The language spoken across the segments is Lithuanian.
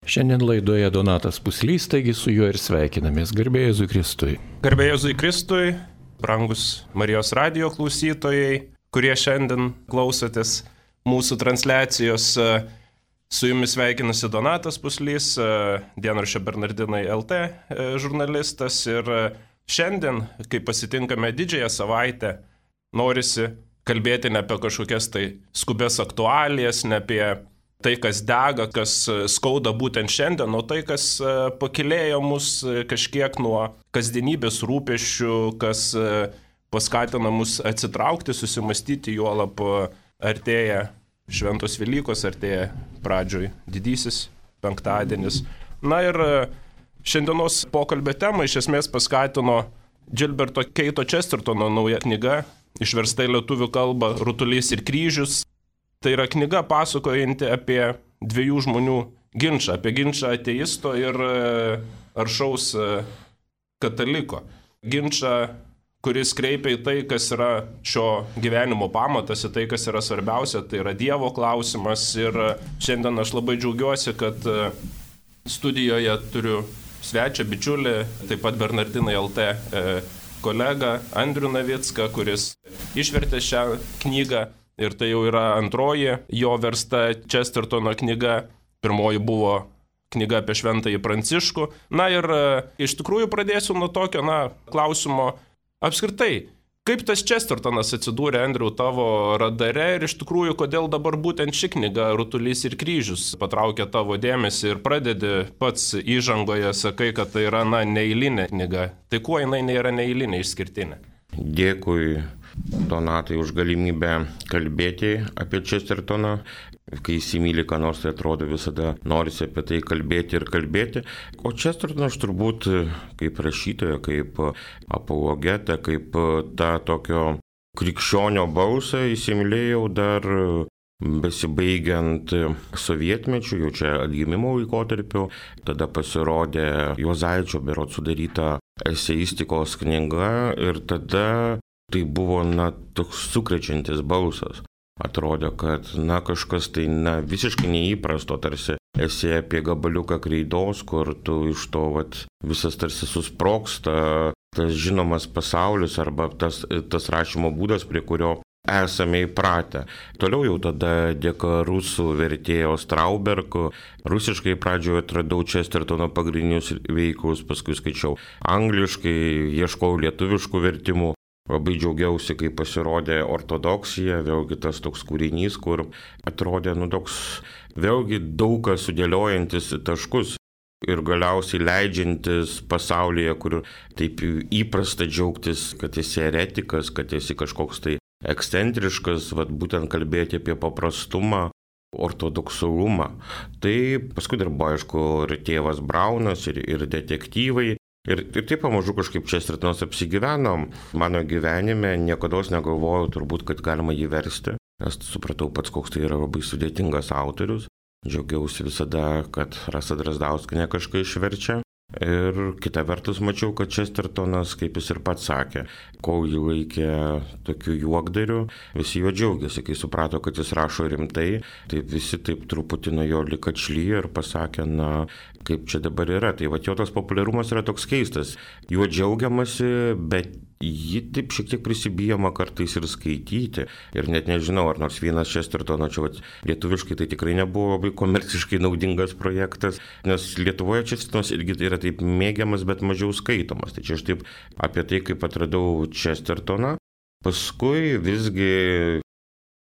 Šiandien laidoje Donatas Puslys, taigi su juo ir sveikinamės. Garbė Jėzui Kristui. Garbė Jėzui Kristui, brangus Marijos radijo klausytojai, kurie šiandien klausotės mūsų transliacijos. Su jumis sveikinasi Donatas Puslys, dienraščio Bernardinai LT žurnalistas. Ir šiandien, kai pasitinkame didžiąją savaitę, norisi kalbėti ne apie kažkokias tai skubės aktualijas, ne apie tai, kas dega, kas skauda būtent šiandien, o tai, kas pakilėjo mus kažkiek nuo kasdienybės rūpesčių, kas paskatina mus atsitraukti, susimastyti, juolab artėja Šventos Velykos, artėja pradžioj didysis penktadienis. Na ir šiandienos pokalbio temą iš esmės paskatino Gilberto Keito Chestertono nauja knyga, išversta į lietuvių kalbą Rutulys ir kryžius. Tai yra knyga pasakojanti apie dviejų žmonių ginčą, apie ginčą ateisto ir aršaus kataliko. Ginčą, kuris kreipia į tai, kas yra šio gyvenimo pamatas, į tai, kas yra svarbiausia, tai yra Dievo klausimas. Ir šiandien aš labai džiaugiuosi, kad studijoje turiu svečią, bičiulį, taip pat Bernardinai LT kolegą Andrių Navicką, kuris išvertė šią knygą. Ir tai jau yra antroji jo versta Chestertono knyga. Pirmoji buvo knyga apie Šventąjį Pranciškų. Na ir iš tikrųjų pradėsiu nuo tokio klausimo apskritai. Kaip tas Chestertonas atsidūrė, Andriau, tavo radare ir iš tikrųjų, kodėl dabar būtent ši knyga Rutulys ir kryžius patraukė tavo dėmesį ir pradedi pats įžangoje, sakai, kad tai yra neeilinė knyga. Tai kuo jinai nėra neeilinė, išskirtinė? Dėkui, Donatai, už galimybę kalbėti apie Chestertoną. Kai įsimyli, ką nors, tai atrodo visada norisi apie tai kalbėti ir kalbėti. O Chestertoną aš turbūt kaip rašytoją, kaip apologetą, kaip tą tokio krikščionio balsą įsimylėjau dar besibaigiant sovietmečiu, jau čia atgimimo laikotarpiu. Tada pasirodė Juozaičio berods sudaryta eseistikos knyga ir tada tai buvo toks sukrečiantis balsas. Atrodė, kad kažkas tai visiškai neįprasto, tarsi esi apie gabaliuką kreidos, kur tu iš to visas tarsi susprogsta tas žinomas pasaulis arba tas rašymo būdas, prie kurio esame įpratę. Toliau jau tada dėka rusų vertėjo Strauberg, rusiškai pradžioje atradau Chestertono pagrindinius veikalus, paskui skaičiau angliškai, ieškojau lietuviškų vertimų. Labai džiaugiausi, kai pasirodė Ortodoksija, vėlgi tas toks kūrinys, kur atrodė toks vėlgi daug kas sudėliojantis taškus ir galiausiai leidžiantis pasaulyje, kur taip įprasta džiaugtis, kad esi eretikas, kad esi kažkoks tai ekscentriškas, būtent kalbėti apie paprastumą, ortodoksalumą. Tai paskui dar buvo, aišku, ir tėvas Braunas, ir detektyvai. Ir taip pamažu kažkaip Chestertonas apsigyveno mano gyvenime, niekados negalvojau turbūt, kad galima jį versti, nes supratau pats, koks tai yra labai sudėtingas autorius. Džiaugiausi visada, kad Rasa Drazdauskienė kažką išverčia. Ir kita vertus mačiau, kad Chestertonas, kaip jis ir pats sakė, kol jį laikė tokiu juokdariu, visi jo džiaugiasi. Kai suprato, kad jis rašo rimtai, tai visi taip truputį nuo jo lyg atšlyjo ir pasakė, kaip čia dabar yra. Tai jo tas populiarumas yra toks keistas. Juo džiaugiamasi, bet jį taip šiek tiek prisibijama kartais ir skaityti. Ir net nežinau, ar nors vienas Chestertono, čia lietuviškai tai tikrai nebuvo labai komerciškai naudingas projektas, nes Lietuvoje Chestertonas irgi yra taip mėgiamas, bet mažiau skaitomas. Tai čia aš taip apie tai, kaip atradau Chestertoną. Paskui visgi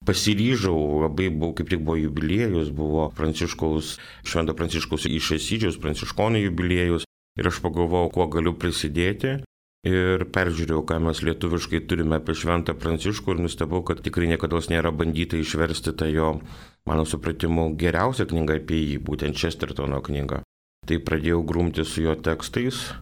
pasiryžau, kaip tik buvo jubiliejus, buvo Švento Pranciškaus iš Asyžiaus, pranciškonų jubiliejus. Ir aš pagalvojau, kuo galiu prisidėti. Ir peržiūrėjau, ką mes lietuviškai turime apie Šventą Pranciškų ir nustebau, kad tikrai niekada nėra bandyta išversti tą jo, mano supratimu, geriausią knygą apie jį, būtent Chestertono knygą. Tai pradėjau grumti su jo tekstais.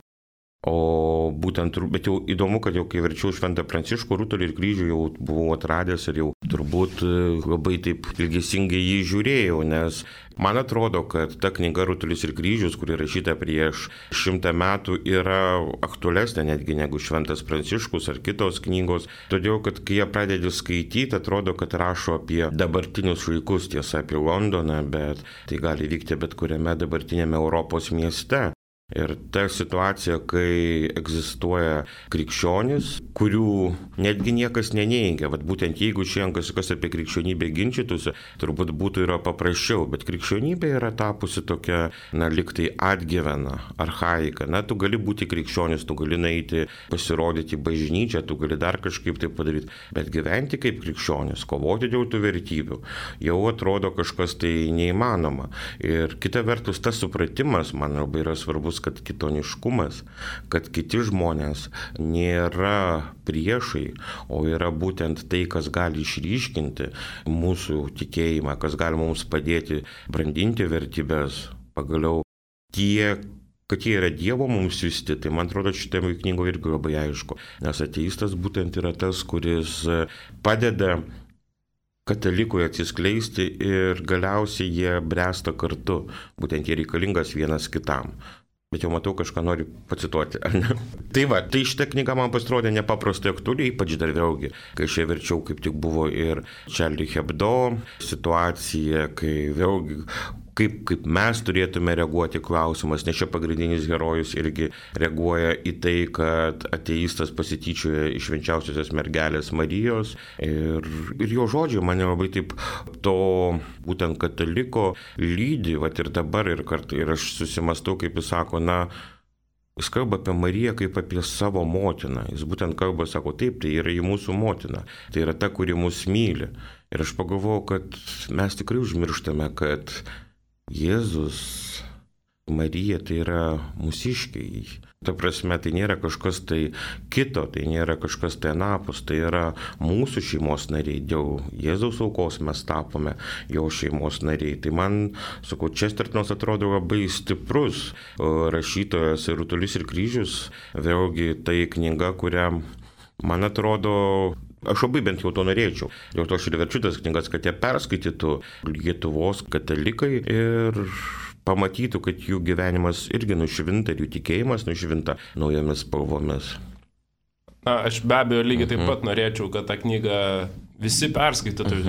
O būtent, bet jau įdomu, kad jau kai verčiau Šventą Pranciškų Rutulį ir kryžių jau buvau atradęs ir jau turbūt labai taip ilgesingai jį žiūrėjau, nes man atrodo, kad ta knyga Rutulis ir kryžius, kuri rašyta prieš 100 metų, yra aktualesnė netgi negu Šventas Pranciškus ar kitos knygos, todėl kad kai jie pradedi skaityti, atrodo, kad rašo apie dabartinius laikus, tiesa apie Londoną, bet tai gali vykti bet kuriame dabartinėme Europos mieste. Ir ta situacija, kai egzistuoja krikščionys, kurių netgi niekas neneigia, vat būtent jeigu šiandien kas apie krikščionybę ginčytųsi, turbūt būtų yra paprasčiau, bet krikščionybė yra tapusi tokia, liktai atgyvena, archaika. Tu gali būti krikščionis, tu gali nueiti pasirodyti bažnyčią, tu gali dar kažkaip tai padaryti, bet gyventi kaip krikščionis, kovoti dėl tų vertybių, jau atrodo kažkas tai neįmanoma. Ir kita vertus, tas supratimas man labai yra svarbus, kad kitoniškumas, kad kiti žmonės nėra priešai, o yra būtent tai, kas gali išryškinti mūsų tikėjimą, kas gali mums padėti brandinti vertybės, pagaliau kad jie yra Dievo mums siųsti, tai man atrodo šitame knygoje irgi labai aišku, nes ateistas būtent yra tas, kuris padeda katalikui atsiskleisti ir galiausiai jie bręsta kartu, būtent jie reikalingas vienas kitam. Bet jau matau, kažką noriu pacituoti, ar ne? Tai šitą knygą man pasirodė nepaprastai aktuali, ypač dar vėlgi, kai aš ją verčiau, kaip tik buvo ir Charlie Hebdo situacija, kai vėlgi kaip mes turėtume reaguoti klausimas, nes čia pagrindinis herojus irgi reaguoja į tai, kad ateistas pasityčioja iš švenčiausiosios mergelės Marijos ir jo žodžiai mane labai taip to būtent kataliko lydi, ir dabar ir aš susimastau, kaip jis sako, jis kalba apie Mariją kaip apie savo motiną. Jis būtent kalba, sako, taip, tai yra į mūsų motina. Tai yra ta, kuri mus myli. Ir aš pagalvojau, kad mes tikrai užmirštame, kad Jėzus, Marija tai yra mūsiškiai. Ta prasme, tai nėra kažkas tai kito, tai nėra kažkas tai anapus, tai yra mūsų šeimos nariai. Dėl Jėzaus aukos mes tapome jo šeimos nariai. Tai man, sakau, Čestertonas atrodo labai stiprus rašytojas ir Rutulis ir kryžius. Vėlgi tai knyga, kurią, man atrodo, aš labai bent jau to norėčiau. Dėl to aš ir verčiu tas knygas, kad jie perskaitytų Lietuvos katalikai ir pamatytų, kad jų gyvenimas irgi nušvinta ir jų tikėjimas nušvinta naujomis spalvomis. Aš be abejo lygiai taip pat norėčiau, kad tą knygą visi perskaitytų,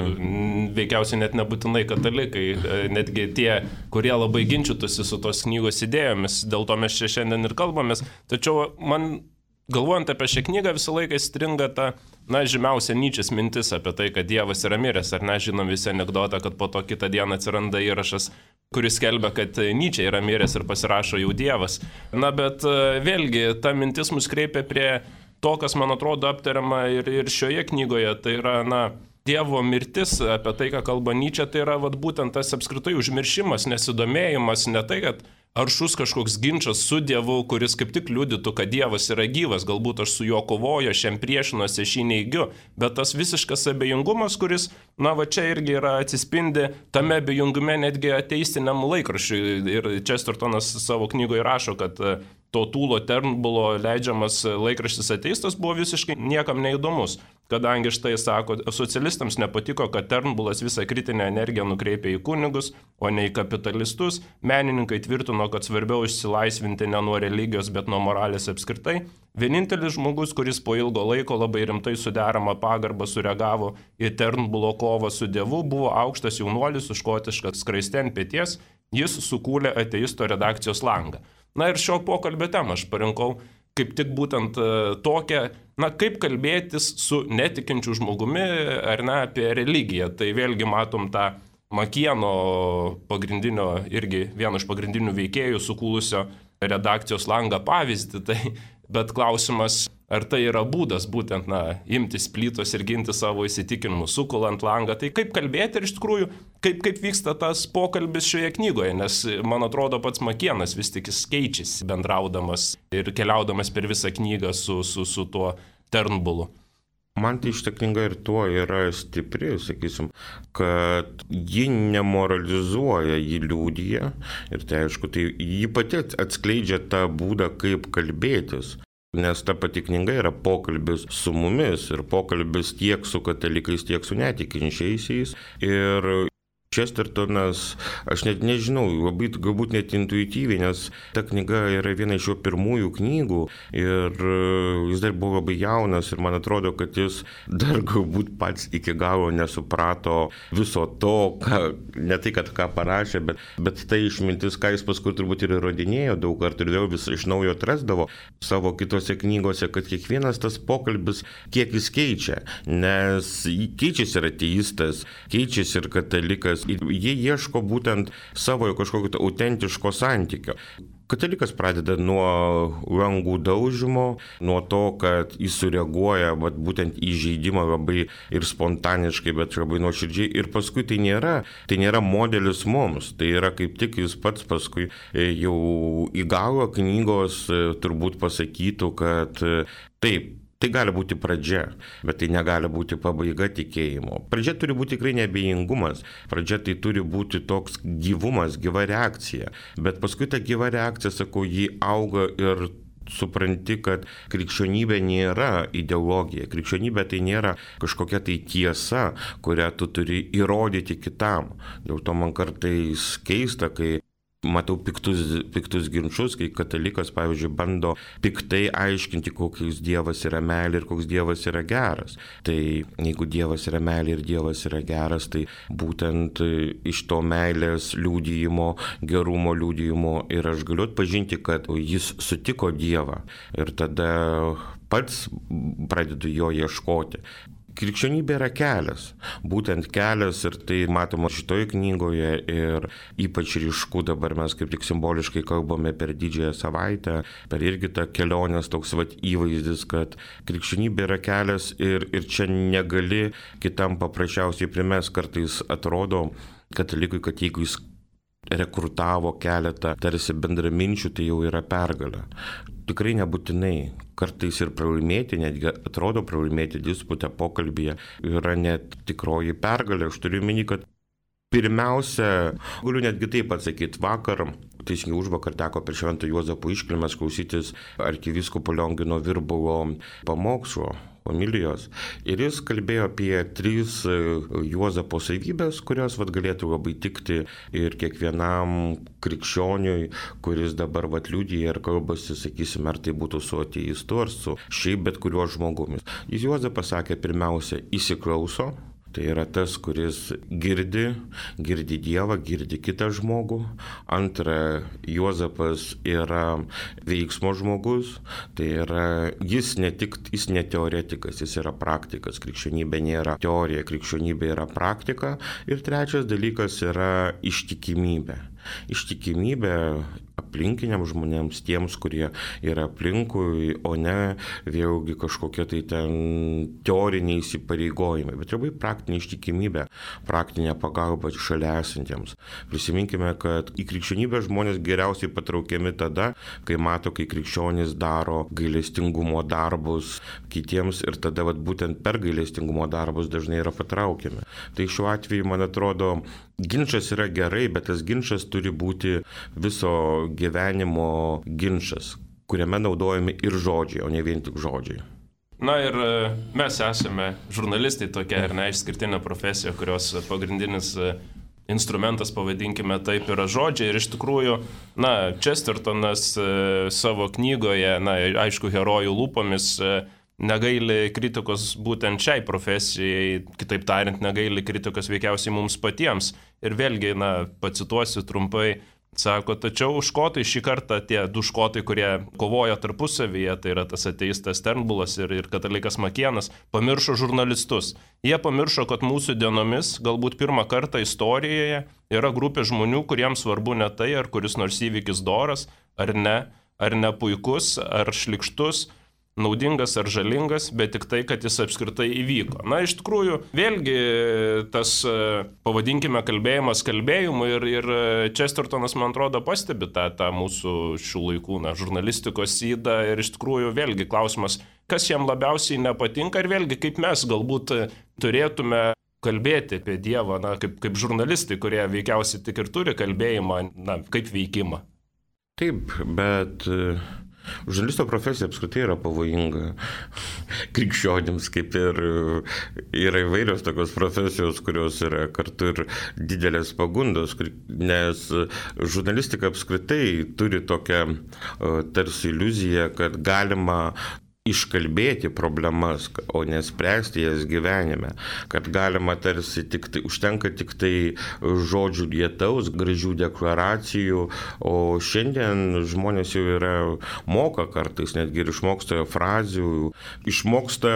veikiausiai net nebūtinai katalikai, netgi tie, kurie labai ginčytųsi su tos knygos idėjomis, dėl to mes čia šiandien ir kalbamės. Tačiau man, galvojant apie šią knygą, visą laiką stringa ta, žymiausia Nyčės mintis apie tai, kad Dievas yra miręs, ar ne, žinom visi anekdotą, kad po to kitą dieną atsiranda įrašas, kuris skelbia, kad Nyčė yra miręs ir pasirašo jau Dievas. Bet vėlgi, ta mintis mus kreipia prie to, kas, man atrodo, aptariama ir šioje knygoje, tai yra, Dievo mirtis, apie tai, ką kalba Nyčė, tai yra būtent tas apskritai užmiršimas, nesidomėjimas, ne tai, kad aršus kažkoks ginčas su Dievu, kuris kaip tik liudytų, kad Dievas yra gyvas, galbūt aš su juo kovoju, aš jam priešinuosi, aš jį neigiu, bet tas visiškas abejingumas, kuris, čia irgi yra atsispindi tame abejingume netgi ateistiniam laikraščiui. Ir Čestertonas savo knygoje rašo, kad to Tūlo Turnbulo leidžiamas laikraštis Ateistas buvo visiškai niekam neįdomus, kadangi štai sako, socialistams nepatiko, kad Turnbulas visą kritinę energiją nukreipė į kunigus, o ne į kapitalistus. Menininkai tvirtino, kad svarbiau išsilaisvinti ne nuo religijos, bet nuo moralės apskritai. Vienintelis žmogus, kuris po ilgo laiko labai rimtai su derama pagarba sureagavo į Turnbulo kovą su Dievu, buvo aukštas jaunuolis su škotiška skraiste ant peties. Jis sukūrė Ateisto redakcijos langą. Ir šio pokalbio temą aš parinkau kaip tik būtent tokią, kaip kalbėtis su netikinčiu žmogumi ar ne apie religiją. Tai vėlgi matom tą Makieno pagrindinio, irgi vieno iš pagrindinių veikėjų sukūlusio redakcijos langą pavyzdį. Bet klausimas, ar tai yra būdas būtent, imtis plytos ir ginti savo įsitikinimus, sukulant langą. Tai kaip kalbėti ir iš tikrųjų, kaip vyksta tas pokalbis šioje knygoje, nes man atrodo pats Makienas vis tik jis keičiasi bendraudamas ir keliaudamas per visą knygą su tuo Turnbulu. Man tai šita knyga ir tuo yra stipri, sakysim, kad ji nemoralizuoja, ji liūdija ir tai aišku, tai ji pati atskleidžia tą būdą, kaip kalbėtis. Nes ta pati knyga yra pokalbis su mumis ir pokalbis tiek su katalikais, tiek su netikinčiaisiais. Ir Čestertonas, aš net nežinau, labai galbūt net intuityviai, nes ta knyga yra viena iš jo pirmųjų knygų ir jis dar buvo labai jaunas ir man atrodo, kad jis dar galbūt pats iki galo nesuprato viso to, ne tai, kad ką parašė, bet tai išmintis, ką jis paskui turbūt ir įrodinėjo daug kartų ir vėl vis iš naujo atrasdavo savo kitose knygose, kad kiekvienas tas pokalbis, kiek jis keičia, nes keičiasi ir ateistas, keičiasi ir katalikas. Jie ieško būtent savo kažkokio autentiško santykio. Katalikas pradeda nuo langų daužymo, nuo to, kad jis sureaguoja būtent į žaidimą labai ir spontaniškai, bet labai nuoširdžiai. Ir paskui tai nėra modelis mums. Tai yra kaip tik jis pats paskui jau į galą knygos turbūt pasakytų, kad taip. Tai gali būti pradžia, bet tai negali būti pabaiga tikėjimo. Pradžia turi būti tikrai neabejingumas. Pradžia tai turi būti toks gyvumas, gyva reakcija. Bet paskui ta gyva reakcija, sakau, jį auga ir supranti, kad krikščionybė nėra ideologija. Krikščionybė tai nėra kažkokia tai tiesa, kurią tu turi įrodyti kitam. Dėl to man kartais keista, kai matau piktus ginčus, kai katalikas, pavyzdžiui, bando piktai aiškinti, koks Dievas yra meilė ir koks Dievas yra geras. Tai jeigu Dievas yra meilė ir Dievas yra geras, tai būtent iš to meilės liudijimo, gerumo liudijimo ir aš galiu atpažinti, kad jis sutiko Dievą ir tada pats pradedu jo ieškoti. Krikščionybė yra kelias, būtent kelias ir tai matoma šitoje knygoje ir ypač ryšku dabar mes kaip tik simboliškai kalbame per Didžiąją savaitę, per irgi tą kelionės toks įvaizdis, kad krikščionybė yra kelias ir čia negali kitam paprasčiausiai primest. Kartais atrodo katalikui, kad jeigu jis rekrutavo keletą tarsi bendraminčių, tai jau yra pergalė. Tikrai nebūtinai. Kartais ir pralaimėti, netgi atrodo pralaimėti disputę, pokalbyje yra net tikroji pergalė. Aš turiu minį, kad pirmiausia, galiu netgi taip atsakyti, vakar, teisingai užvakar teko per Švento Juozapo iškilmes klausytis arkivyskupo Liongino Virbulo pamokslo, homilijos. Ir jis kalbėjo apie 3 Juozapo savybės, kurios galėtų labai tikti ir kiekvienam krikščioniui, kuris dabar liudija ir kalbasi, sakysim, ar tai būtų su ateistu, ar su šiaip bet kuriuo žmogumi. Jis Juozapas sakė, pirmiausia, įsiklauso. Tai yra tas, kuris girdi Dievą, girdi kitą žmogų. Antra, Juozapas yra veiksmo žmogus. Tai yra, jis ne teoretikas, jis yra praktikas. Krikščionybė nėra teorija, krikščionybė yra praktika. Ir trečias dalykas yra ištikimybė. Ištikimybė aplinkiniam žmonėms, tiems, kurie yra aplinkui, o ne vėlgi kažkokie tai ten teoriniai įsipareigojimai, bet labai praktinė ištikimybė, praktinė pagalba šalia esantiems. Prisiminkime, kad į krikščionybę žmonės geriausiai patraukiami tada, kai mato, kai krikščionys daro gailestingumo darbus kitiems ir tada būtent per gailestingumo darbus dažnai yra patraukiami. Tai šiuo atveju, man atrodo, ginčas yra gerai, bet tas ginčas turi būti viso gyvenimo ginčas, kuriame naudojami ir žodžiai, o ne vien tik žodžiai. Na ir mes esame žurnalistai tokia ir neišskirtinė profesija, kurios pagrindinis instrumentas, pavadinkime taip, yra žodžiai. Ir iš tikrųjų, Čestertonas savo knygoje, aišku, herojų lūpomis negaili kritikos būtent šiai profesijai, kitaip tariant, negaili kritikos veikiausiai mums patiems. Ir vėlgi, pacituosiu trumpai, sako, tačiau škotai šį kartą, tie 2 škotai, kurie kovojo tarpusavyje, tai yra tas ateistas Turnbullas ir katalikas Makienas, pamiršo žurnalistus. Jie pamiršo, kad mūsų dienomis, galbūt pirmą kartą istorijoje, yra grupė žmonių, kuriems svarbu ne tai, ar kuris nors įvykis doras, ar ne puikus, ar šlykštus, naudingas ar žalingas, bet tik tai, kad jis apskritai įvyko. Na, iš tikrųjų, vėlgi tas, pavadinkime, kalbėjimas kalbėjimu ir Chestertonas, man atrodo, pastebi tą mūsų šių laikų žurnalistikos ydą ir iš tikrųjų vėlgi klausimas, kas jam labiausiai nepatinka ir vėlgi kaip mes galbūt turėtume kalbėti apie Dievą, kaip žurnalistai, kurie veikiausiai tik ir turi kalbėjimą, kaip veikimą. Taip, bet žurnalisto profesija apskritai yra pavojinga krikščionims, kaip ir yra įvairios tokios profesijos, kurios yra kartu ir didelės pagundos, nes žurnalistika apskritai turi tokią tarsi iliuziją, kad galima iškalbėti problemas, o nespręsti jas gyvenime, kad galima tarsi užtenka tik tai žodžių lietaus, gražių deklaracijų, o šiandien žmonės jau moka kartais, netgi ir išmoksta frazių, išmoksta,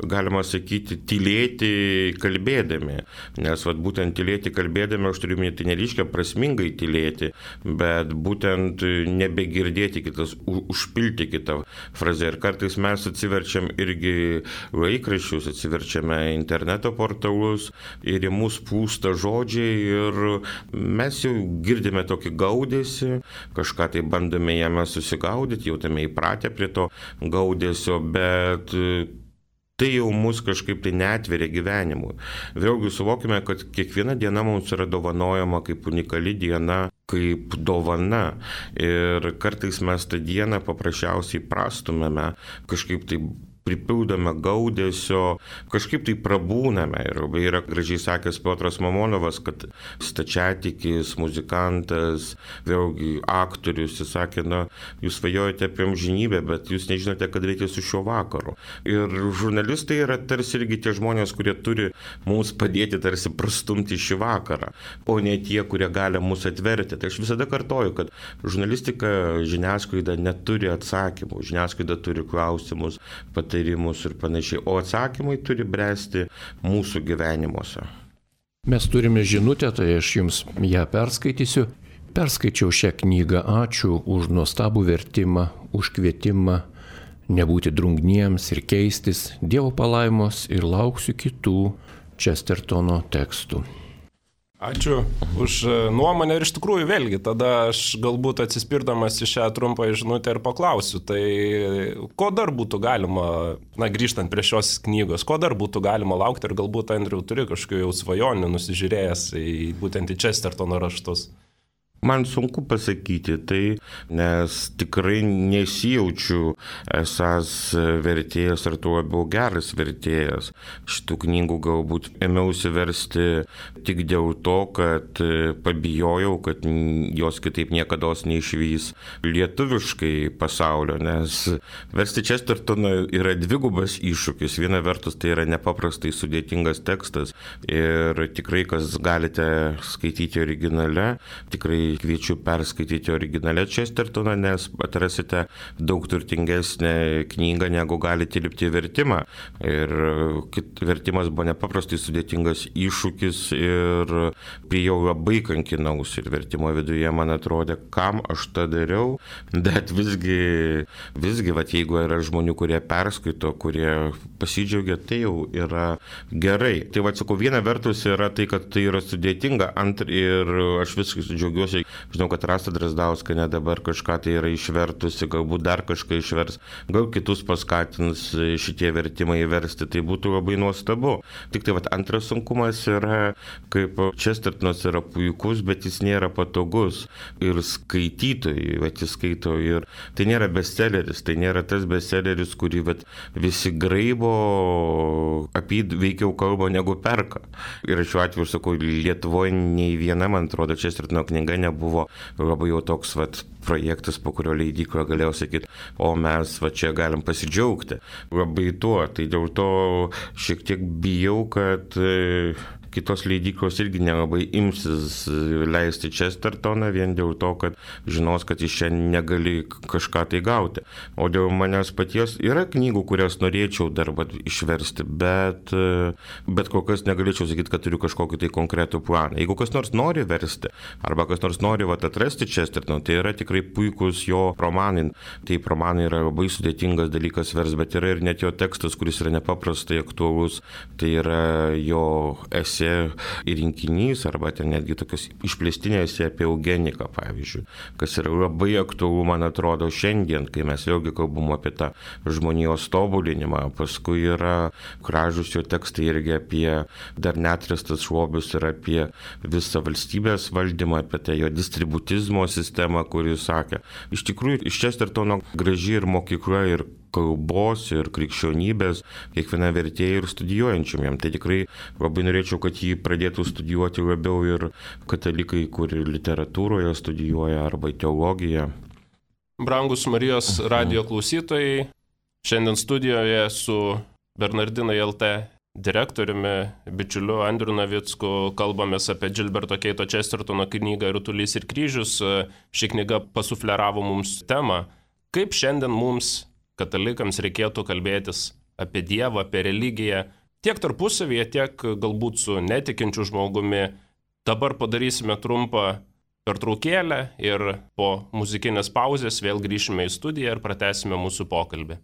galima sakyti, tylėti kalbėdami, nes būtent tylėti kalbėdami, aš turiu minėti, tai nereiškia prasmingai tylėti, bet būtent nebegirdėti kitas, užpilti kitą frazę ir kartais mes atsiverčiam irgi laikraščius, atsiverčiame interneto portalus ir į mus plūsta žodžiai ir mes jau girdime tokį gaudesį, kažką tai bandome jame susigaudyti, jau tame įpratę prie to gaudesio, bet tai jau mus kažkaip tai neatveria gyvenimui. Vėlgi suvokime, kad kiekviena diena mums yra dovanojama kaip unikali diena, kaip dovana. Ir kartais mes tą dieną paprasčiausiai prastumėme, kažkaip tai pripildome gaudesio, kažkaip tai prabūname. Ir yra gražiai sakęs Piotras Mamonovas, kad stačiatikis, muzikantas, vėlgi aktorius, jis sakė, jūs svajojate apie amžinybę, bet jūs nežinote, kad reikia su šiuo vakaru. Ir žurnalistai yra tarsi irgi tie žmonės, kurie turi mums padėti tarsi prastumti šį vakarą, o ne tie, kurie gali mus atverti. Tai aš visada kartoju, kad žurnalistika, žiniasklaida neturi atsakymų, žiniasklaida turi klausimus, patarimus ir panašiai, o atsakymai turi bręsti mūsų gyvenimuose. Mes turime žinutę, tai aš jums ją perskaitysiu. Perskaičiau šią knygą, ačiū už nuostabų vertimą, už kvietimą nebūti drungniems ir keistis, Dievo palaimos ir lauksiu kitų Chestertono tekstų. Ačiū už nuomonę ir iš tikrųjų vėlgi, tada aš galbūt atsispirdamas į šią trumpą žinutę ir paklausiu, tai ko dar būtų galima, grįžtant prie šios knygos, ko dar būtų galima laukti ir galbūt, Andriau, turi kažkokių jau svajonių nusižiūrėjęs būtent į Chestertono raštus? Man sunku pasakyti tai, nes tikrai nesijaučiu esas vertėjas ar tuo labiau geras vertėjas. Šitų knygų galbūt ėmiausi versti tik dėl to, kad pabijojau, kad jos kitaip niekada neišvys lietuviškai pasaulio, nes versti Chestertoną yra dvigubas iššūkis. Viena vertus tai yra nepaprastai sudėtingas tekstas ir tikrai, kas galite skaityti originale, tikrai kviečiu perskaityti originalę Chestertoną, nes atrasite daug turtingesnę knygą, negu galite tilpti į vertimą. Ir vertimas buvo nepaprastai sudėtingas iššūkis ir prie jau labai kankinausi. Ir vertimo viduje man atrodė, kam aš tą dariau, bet visgi jeigu yra žmonių, kurie perskaito, kurie pasidžiaugia, tai jau yra gerai. Tai sakau, viena vertus yra tai, kad tai yra sudėtinga, ir aš viskai džiaugiuosi. Žinau, kad Rasa Drazdauskienė dabar kažką tai yra išvertusi, galbūt dar kažką išvers, gal kitus paskatins šitie vertimai įversti, tai būtų labai nuostabu. Tik tai antras sunkumas yra, kaip Chestertonas yra puikus, bet jis nėra patogus. Ir skaitytojai, jis skaito ir tai nėra bestselleris, tai nėra tas bestselleris, kurį visi graibo, apie veikiau kalba negu perka. Ir šiuo atveju, sakau, Lietuvoje nei viena, man atrodo, Chestertono knyga nebuvo labai jau toks projektas, po kurio leidykla galėjo sakyti, o mes čia galim pasidžiaugti. Labai tuo, tai dėl to šiek tiek bijau, kad kitos leidyklos irgi nelabai imsis leisti Chestertoną vien dėl to, kad žinos, kad iš čia negali kažką tai gauti. O dėl manęs paties yra knygų, kurias norėčiau dar išversti, bet kol kas negalėčiau sakyti, kad turiu kažkokį tai konkretų planą. Jeigu kas nors nori versti, arba kas nors nori atrasti Chestertoną, tai yra tikrai puikus jo romanai. Taip, romanai yra labai sudėtingas dalykas vers, bet yra ir net jo tekstas, kuris yra nepaprastai aktualus. Tai yra jo esė ir rinkinys, arba ten netgi tokios išplėstinės apie eugeniką, pavyzdžiui, kas yra labai aktualu, man atrodo, šiandien, kai mes vėlgi kalbam apie tą žmonijos tobulinimą. Paskui yra gražus jo tekstai irgi apie dar neatrastas lobius ir apie visą valstybės valdymą, apie tai jo distributizmo sistemą, kurį sakė. Iš tikrųjų, iš Chestertono graži ir mokykla, ir kalbos, ir krikščionybės, kiekviena vertėja ir studijuojančiam jam. Tai tikrai labai norėčiau, kad jį pradėtų studijuoti labiau ir katalikai, kur literatūroje studijuoja, arba teologiją. Brangus Marijos radijo klausytojai, šiandien studijoje su Bernardinai LT direktoriumi, bičiuliu Andriu Navicku kalbamės apie Gilberto Keito Chestertono knygą Rutulys ir kryžius. Ši knyga pasufleravo mums temą, kaip šiandien mums, katalikams, reikėtų kalbėtis apie Dievą, apie religiją, tiek tarpusavyje, tiek galbūt su netikinčiu žmogumi. Dabar padarysime trumpą pertraukėlę ir po muzikinės pauzės vėl grįšime į studiją ir pratęsime mūsų pokalbį.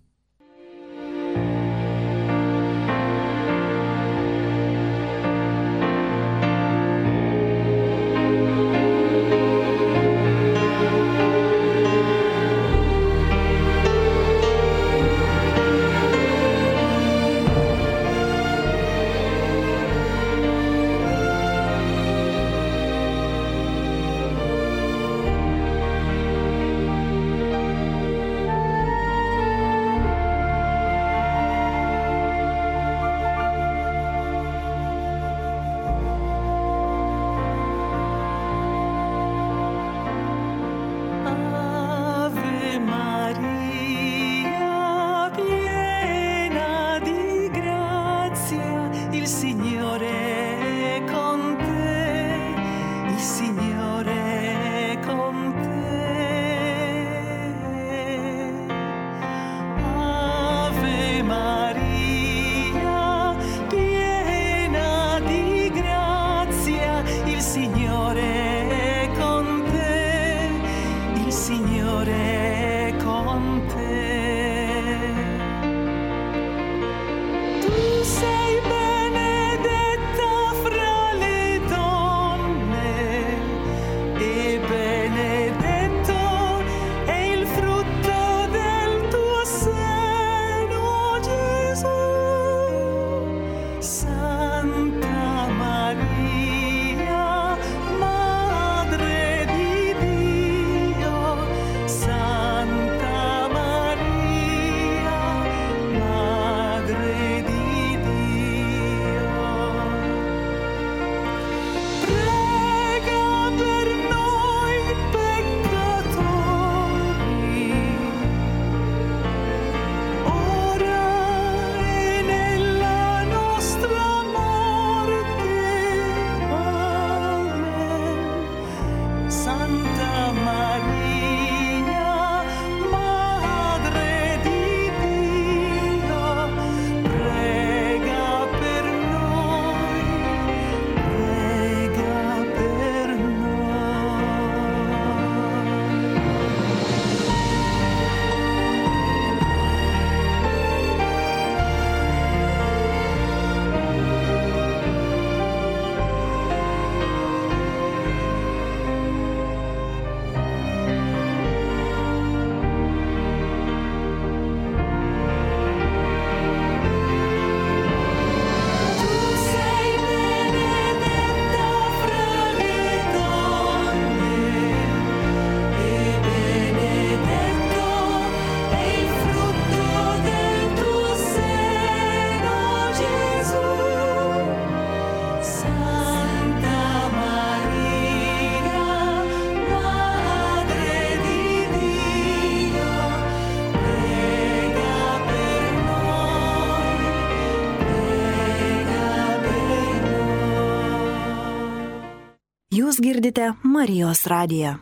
Jūs girdite Marijos radiją.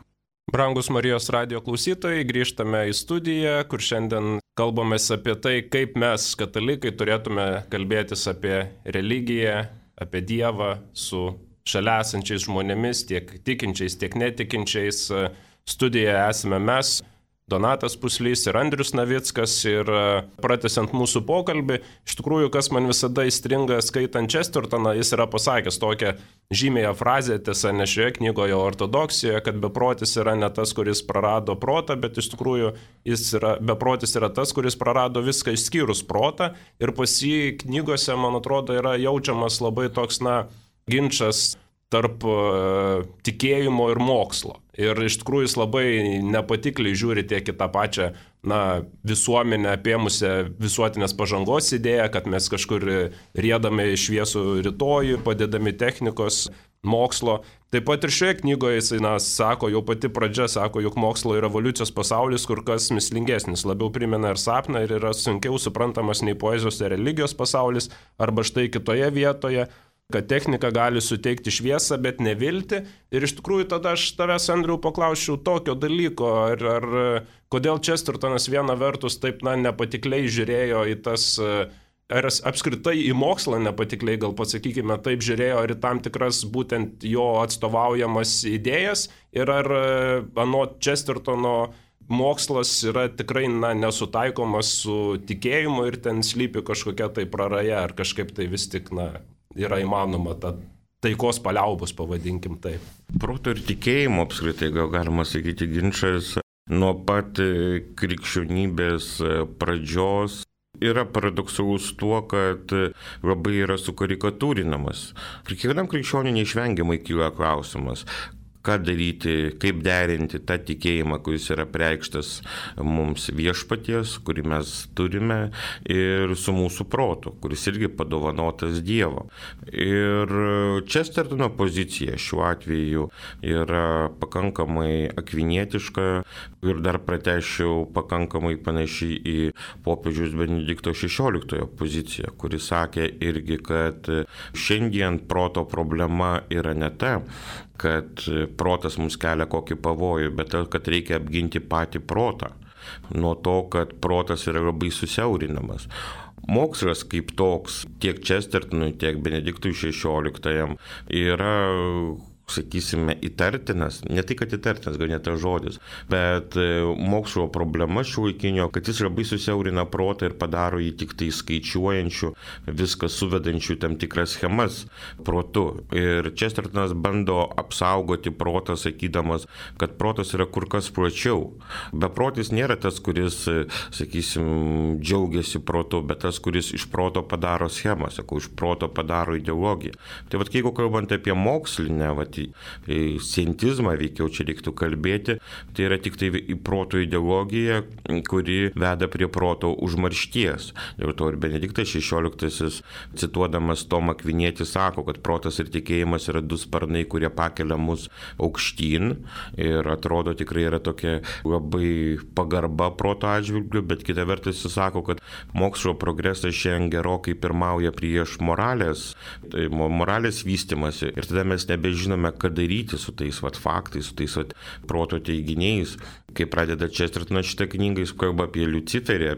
Brangus Marijos radijo klausytojai, grįžtame į studiją, kur šiandien kalbamės apie tai, kaip mes, katalikai, turėtume kalbėtis apie religiją, apie Dievą su šalia esančiais žmonėmis, tiek tikinčiais, tiek netikinčiais. Studijoje esame mes, Donatas Puslys ir Andrius Navickas, ir pratęsiant mūsų pokalbį, iš tikrųjų, kas man visada įstringa skaitant Chestertoną, jis yra pasakęs tokią žymėją frazę, tiesa, ne šioje knygoje ortodoksijoje, kad beprotis yra ne tas, kuris prarado protą, bet iš tikrųjų beprotis yra tas, kuris prarado viską išskyrus protą, ir pas jį knygose, man atrodo, yra jaučiamas labai toks, ginčas tarp tikėjimo ir mokslo. Ir iš tikrųjų jis labai nepatikliai žiūri tiek į tą pačią visuomenę apėmusią visuotinės pažangos idėją, kad mes kažkur riedame į šviesų rytojų, padedami technikos, mokslo. Taip pat ir šioje knygoje jisai sako, jau pati pradžia sako, jog mokslo ir evoliucijos pasaulis kur kas mįslingesnis, labiau primena ir sapną ir yra sunkiau suprantamas nei poezijos ir religijos pasaulis, arba štai kitoje vietoje, kad technika gali suteikti šviesą, bet nevilti. Ir iš tikrųjų tada aš tavęs, Andriau, paklausčiau tokio dalyko, ar kodėl Chestertonas viena vertus taip nepatikliai žiūrėjo į tas, ar apskritai į mokslą nepatikliai, gal pasakykime taip, žiūrėjo ir į tam tikras būtent jo atstovaujamas idėjas, ir ar anot Chestertono mokslas yra tikrai nesutaikomas su tikėjimu ir ten slypi kažkokia tai praraja, ar kažkaip tai vis tik yra įmanoma ta taikos paliaubos, pavadinkim taip. Proto ir tikėjimo apskritai, gal galima sakyti, ginčas nuo pat krikščionybės pradžios yra paradoksalus tuo, kad labai yra sukarikatūrinamas. Kiekvienam krikščioniui neišvengiamai kyla klausimas, ką daryti, kaip derinti tą tikėjimą, kuris yra preikštas mums viešpaties, kurį mes turime, ir su mūsų protu, kuris irgi padovanotas Dievo. Ir Chestertono pozicija šiuo atveju yra pakankamai akvinietiška ir dar pratęsčiau pakankamai panašiai į popiežiaus Benedikto XVI poziciją, kuris sakė irgi, kad šiandien proto problema yra ne ta, kad protas mums kelia kokį pavojų, bet kad reikia apginti patį protą nuo to, kad protas yra labai susiaurinamas. Mokslas kaip toks tiek Chestertonui, tiek Benediktui XVI yra, sakysime, įtartinas, ne tai, kad įtartinas, gal ne tas žodis, bet mokslo problema šiuolaikinio, kad jis labai susiaurina protą ir padaro jį tik tai skaičiuojančių, viską suvedančių tam tikras schemas protu. Ir Chestertonas bando apsaugoti protą, sakydamas, kad protas yra kur kas plačiau. Beprotis nėra tas, kuris, sakysim, džiaugiasi protu, bet tas, kuris iš proto padaro schemą, iš proto padaro ideologiją. Tai jeigu kalbant apie mokslinę, scientizmą veikiau čia reiktų kalbėti, tai yra tik tai proto ideologija, kuri veda prie proto užmaršties. Dėl to ir Benediktas XVI, cituodamas Tomą Akvinietį, sako, kad protas ir tikėjimas yra du sparnai, kurie pakelia mus aukštyn, ir atrodo tikrai yra tokia labai pagarba proto atžvilgiu, bet kita vertus jis sako, kad mokslo progresas šiandien gerokai pirmauja prieš moralės vystimasi, ir tada mes nebežinome, ką daryti su tais faktais, su tais proto teiginiais. Kai pradeda Chestertonas šitą knygą, jis kalba apie Liuciferį,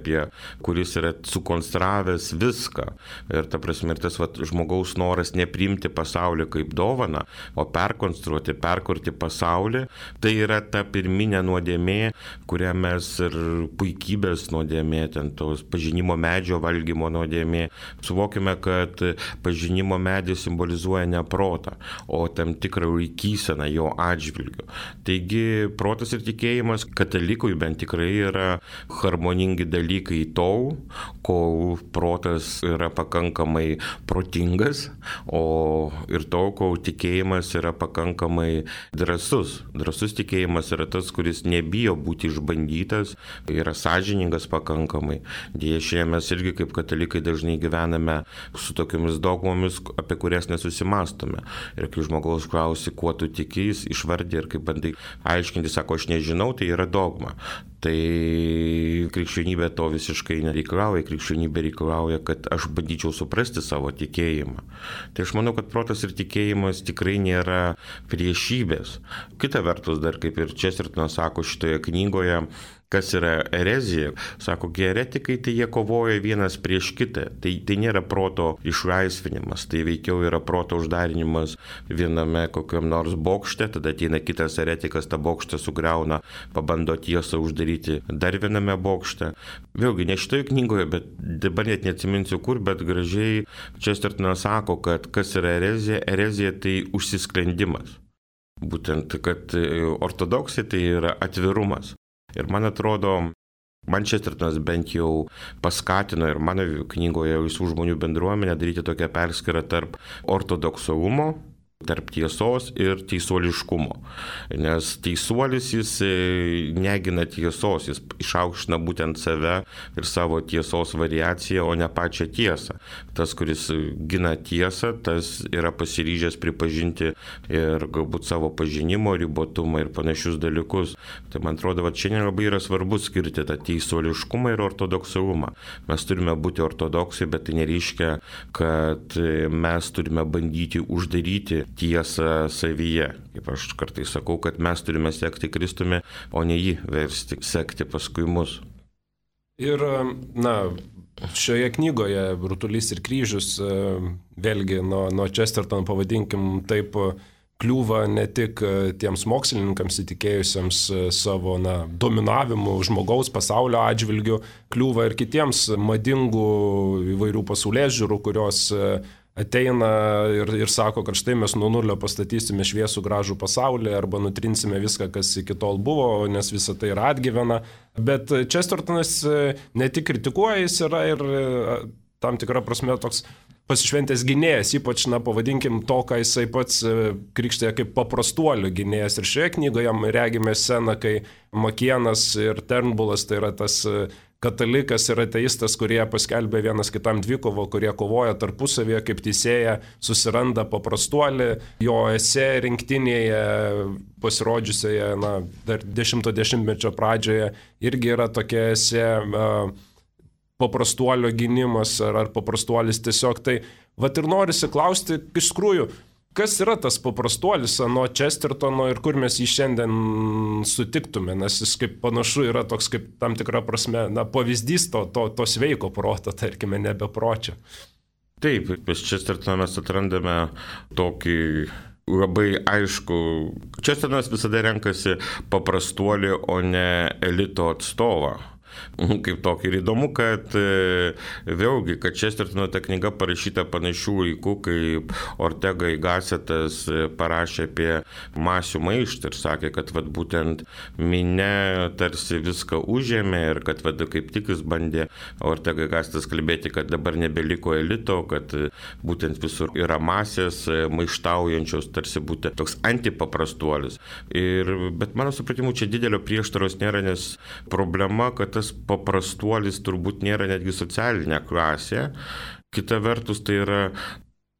kuris yra sukonstravęs viską. Ir ta prasme, ir tas žmogaus noras nepriimti pasaulį kaip dovaną, o perkonstruoti, perkurti pasaulį, tai yra ta pirminė nuodėmė, kurią mes ir puikybės nuodėmė, ten tos pažinimo medžio valgymo nuodėmė. Suvokime, kad pažinimo medis simbolizuoja ne protą, o tam tikrą laikyseną jo atžvilgiu. Taigi protas ir tikėjimas katalikui bent tikrai yra harmoningi dalykai tol, kol protas yra pakankamai protingas, o ir tol, kol tikėjimas yra pakankamai drąsus. Drąsus tikėjimas yra tas, kuris nebijo būti išbandytas, yra sąžiningas pakankamai. Deja, šiandien mes irgi kaip katalikai dažnai gyvename su tokiamis dogmomis, apie kurias nesusimastome. Ir kai žmogaus klausi, kuo tu tiki, jis išvardė ir kaip bandai aiškinti, sako, aš nežinau, tai yra dogma. Tai krikščionybė to visiškai nereikalauja, krikščionybė reikalauja, kad aš bandyčiau suprasti savo tikėjimą. Tai aš manau, kad protas ir tikėjimas tikrai nėra priešybės. Kita vertus, dar kaip ir Chestertonas sako šitoje knygoje, kas yra erezija, sako, heretikai tai jie kovoja vienas prieš kitą. Tai nėra proto išlaisvinimas, tai veikiau yra proto uždarinimas viename kokiam nors bokšte, tada ateina kitas heretikas, tą bokštą sugriauna, pabando tiesą uždaryti dar viename bokšte. Vėlgi, ne šitoje knygoje, bet dabar net neatsiminsiu kur, bet gražiai Chestertonas sako, kad kas yra erezija, erezija tai užsisklendimas. Būtent, kad ortodoksija tai yra atvirumas. Ir man atrodo, man Chestertonas bent jau paskatino ir mano knygoje Laisvų žmonių bendruomenė daryti tokią perskirą tarp ortodoksalumo, tarp tiesos ir teisuoliškumo. Nes teisuolis jis negina tiesos, jis išaukština būtent save ir savo tiesos variaciją, o ne pačią tiesą. Tas, kuris gina tiesą, tas yra pasiryžęs pripažinti ir galbūt savo pažinimo ribotumą ir panašius dalykus. Tai man atrodo, kad šiandien labai yra svarbu skirti tą teisuoliškumą ir ortodoksalumą. Mes turime būti ortodoksai, bet tai nereiškia, kad mes turime bandyti uždaryti tiesą savyje. Kaip aš kartais sakau, kad mes turime sekti Kristumi, o ne jį versti sekti paskui mus. Ir, šioje knygoje Rutulys ir kryžius, vėlgi nuo Chestertono pavadinkim taip, kliūva ne tik tiems mokslininkams įtikėjusiems savo dominavimu žmogaus pasaulio atžvilgiu, kliūva ir kitiems madingų įvairių pasaulėžiūrų, kurios ateina ir sako, kad štai mes nuo nulio pastatysime šviesų gražų pasaulį arba nutrinsime viską, kas iki tol buvo, nes visa tai yra atgyvena. Bet Chestertonas ne tik kritikuoja, jis yra ir tam tikrą prasme toks pasišventęs gynėjas, ypač, pavadinkim to, ką jisai pats krikštėja kaip paprastuolių gynėjas. Ir šioje knygoje regime sceną, kai Makienas ir Turnbullas, tai yra tas katalikas ir ateistas, kurie paskelbė vienas kitam dvikovo, kurie kovoja tarpusavėje kaip teisėja, susiranda paprastuolį, jo esė rinktinėje pasirodžiusioje, dar 10-mečio pradžioje irgi yra tokia esė paprastuolio gynimas ar paprastuolis tiesiog. Tai vat ir norisi klausti, iš tikrųjų, kas yra tas paprastuolis nuo Chestertono ir kur mes jį šiandien sutiktume, nes jis kaip panašu yra toks kaip tam tikra prasme pavyzdys to sveiko proto, tarkime, nebepročio. Taip, pas Chestertoną mes atrandame tokį labai aišku. Chestertonas visada renkasi paprastuolį, o ne elito atstovą. Kaip tokį. Ir įdomu, kad vėlgi, kad Chestertono ta knyga parašyta panašių laikų, kaip Ortega y Gassetas parašė apie masių maištą ir sakė, kad būtent minia tarsi viską užėmė ir kad kaip tik jis bandė Ortega y Gassetas kalbėti, kad dabar nebeliko elito, kad būtent visur yra masės maištaujančios, tarsi būtent toks antipaprastuolis. Bet mano supratimu, čia didelio prieštaros nėra, nes problema, kad tas paprastuolis turbūt nėra netgi socialinė klasė. Kita vertus, tai yra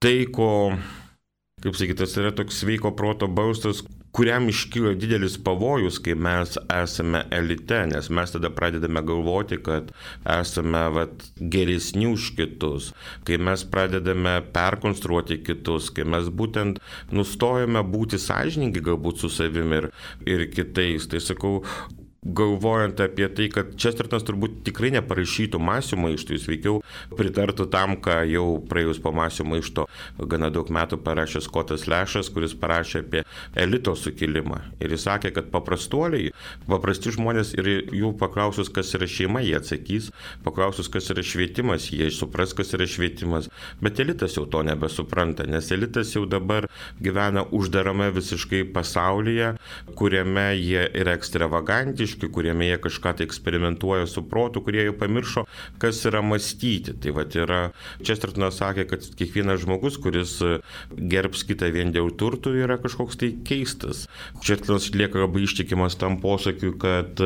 tai, kaip sakyti, tas yra toks sveiko proto balsas, kuriam iškyla didelis pavojus, kai mes esame elite, nes mes tada pradedame galvoti, kad esame geresni už kitus, kai mes pradedame perkonstruoti kitus, kai mes būtent nustojame būti sąžiningi galbūt su savimi ir kitais. Tai sakau, galvojant apie tai, kad Chestertonas turbūt tikrai neparašytų masių maištų, jis veikiau pritartų tam, ką jau praėjus po masių maišto gana daug metų parašė Scottas Lashas, kuris parašė apie elito sukilimą. Ir jis sakė, kad paprastuoliai, paprasti žmonės ir jų paklausus, kas yra šeima, jie atsakys, paklausus, kas yra švietimas, jie supras, kas yra švietimas, bet elitas jau to nebesupranta, nes elitas jau dabar gyvena uždarame visiškai pasaulyje, kuriame jie yra ekstravagantiški, kuriame jie kažką tai eksperimentuoja su protu, kurie jau pamiršo, kas yra mąstyti. Tai yra, Chestertonas sakė, kad kiekvienas žmogus, kuris gerbs kitą vien dėl turtų, yra kažkoks tai keistas. Chestertonas lieka labai ištikimas tam posakiui, kad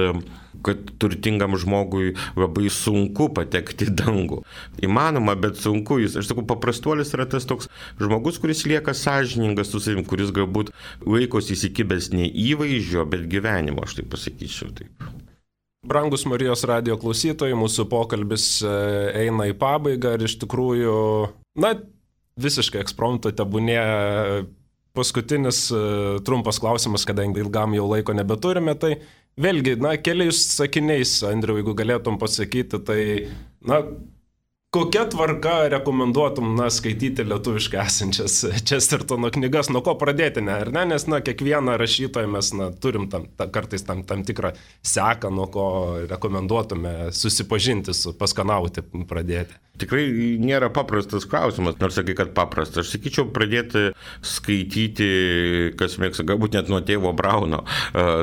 turtingam žmogui labai sunku patekti į dangų. Įmanoma, bet sunku. Aš sakau, paprastuolis yra tas toks žmogus, kuris lieka sąžiningas su savim, kuris galbūt laikosi įsikibęs ne įvaizdžio, bet gyvenimo, aš tai pasakyčiau taip. Brangus Marijos radijo klausytojai, mūsų pokalbis eina į pabaigą ir iš tikrųjų, visiškai ekspromtu tebūnė paskutinis trumpas klausimas, kadangi ilgam jau laiko nebeturime, tai vėlgi, keliais sakiniais, Andriau, jeigu galėtum pasakyti, tai, kokia tvarka rekomenduotum, skaityti lietuviškai esančias Chestertono knygas, nuo ko pradėti, ar ne? Nes, kiekvieną rašytoją mes, turim kartais tam tikrą seką, nuo ko rekomenduotume susipažinti, paskanauti, pradėti. Tikrai nėra paprastas klausimas, nors sakai, kad paprastas. Aš sakyčiau pradėti skaityti, kas mėgsta, galbūt net nuo tėvo Brauno,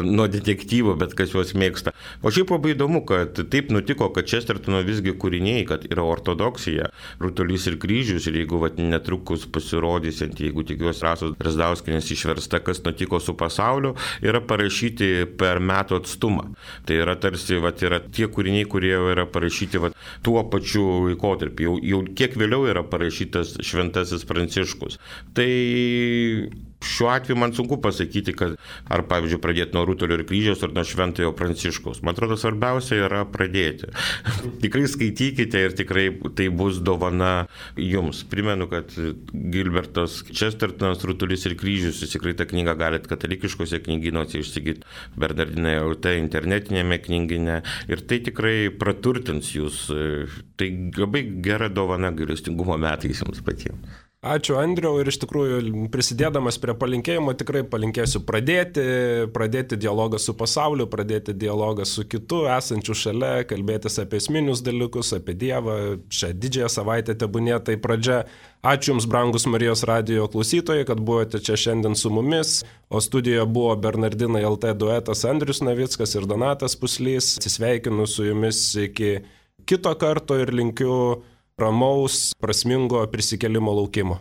nuo detektyvo, bet kas juos mėgsta. O šiaip labai įdomu, kad taip nutiko, kad Chestertono visgi kūriniai, kad yra ortodoksija, Rutulys ir kryžius, ir jeigu netrukus pasirodysiant, jeigu tikiuosi Rasos Drazdauskienės išversta, kas nutiko su pasauliu, yra parašyti per metų atstumą. Tai yra tarsi, yra tie kūriniai, kurie yra parašyti tuo pačiu laikotarpiu. Jau kiek vėliau yra parašytas Šventasis Pranciškus. Tai šiuo atveju man sunku pasakyti, kad ar, pavyzdžiui, pradėti nuo Rutulio ir kryžiaus ar nuo Šventojo Pranciškaus. Man atrodo, svarbiausia yra pradėti. Tikrai skaitykite ir tikrai tai bus dovana jums. Primenu, kad Gilbertas Chestertonas, Rutulys ir kryžius, jūs tikrai tą knygą galite katalikiškose knygynuose išsigyti, Bernardinai LT internetinėme knygyne, ir tai tikrai praturtins jūs. Tai labai gera dovana gailestingumo metais jums patiems. Ačiū, Andriau, ir iš tikrųjų prisidėdamas prie palinkėjimo tikrai palinkėsiu pradėti dialogą su pasauliu, pradėti dialogą su kitu esančiu šalia, kalbėtis apie esminius dalykus, apie Dievą. Šią didžiąją savaitę tebūnė tai pradžia. Ačiū Jums, brangus Marijos radijo klausytojai, kad buvote čia šiandien su mumis, o studijoje buvo Bernardinai LT duetas Andrius Navickas ir Donatas Puslys. Atsisveikinu su Jumis iki kito karto ir linkiu ramaus, prasmingo prisikėlimo laukimo.